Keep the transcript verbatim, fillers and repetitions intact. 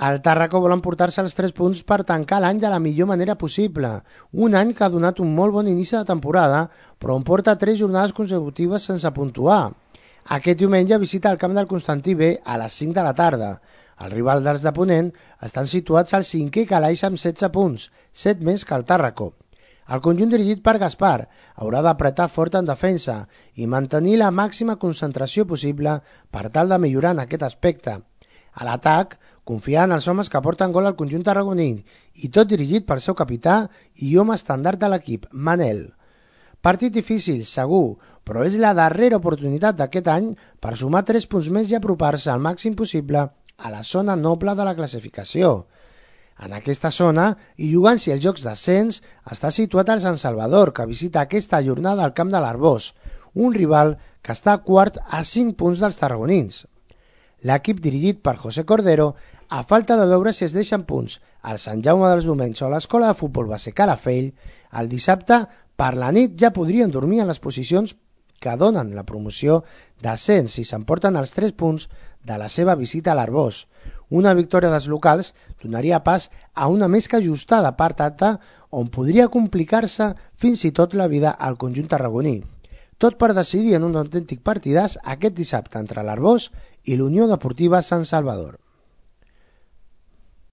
El Tàrraco vol emportar-se els tres punts per tancar l'any de la millor manera possible. Un any que ha donat un molt bon inici de temporada, però on porta tres jornades consecutives sense puntuar. Aquest diumenge visita el camp del Constantí B a les cinc de la tarda. Els rivals dels de Ponent estan situats al cinquè calaix amb setze punts, set més que el Tàrraco. El conjunt dirigit per Gaspar haurà d'apretar fort en defensa i mantenir la màxima concentració possible per tal de millorar en aquest aspecte. A l'atac, confiar en els homes que porten gol al conjunt tarragoní i tot dirigit pel seu capità i home estàndard de l'equip, Manel. Partit difícil, segur, però és la darrera oportunitat d'aquest any per sumar tres punts més i apropar-se al màxim possible a la zona noble de la classificació. En aquesta zona, i jugant-s'hi els jocs d'ascens, està situat el Sant Salvador, que visita aquesta jornada al camp de l'Arbós, un rival que està quart a cinc punts dels tarragonins. L'equip dirigit per José Cordero, a falta de veure si es deixen punts al Sant Jaume dels Domenys o a l'Escola de Futbol Base Calafell, el dissabte per la nit ja podrien dormir en les posicions que donen la promoció d'ascens si s'emporten els tres punts de la seva visita a l'Arbós. Una victòria dels locals donaria pas a una més que ajustada part alta on podria complicar-se fins i tot la vida al conjunt tarragoní. Tot per decidir en un autèntic partidàs aquest dissabte entre l'Arbós i l'Unió Deportiva Sant Salvador.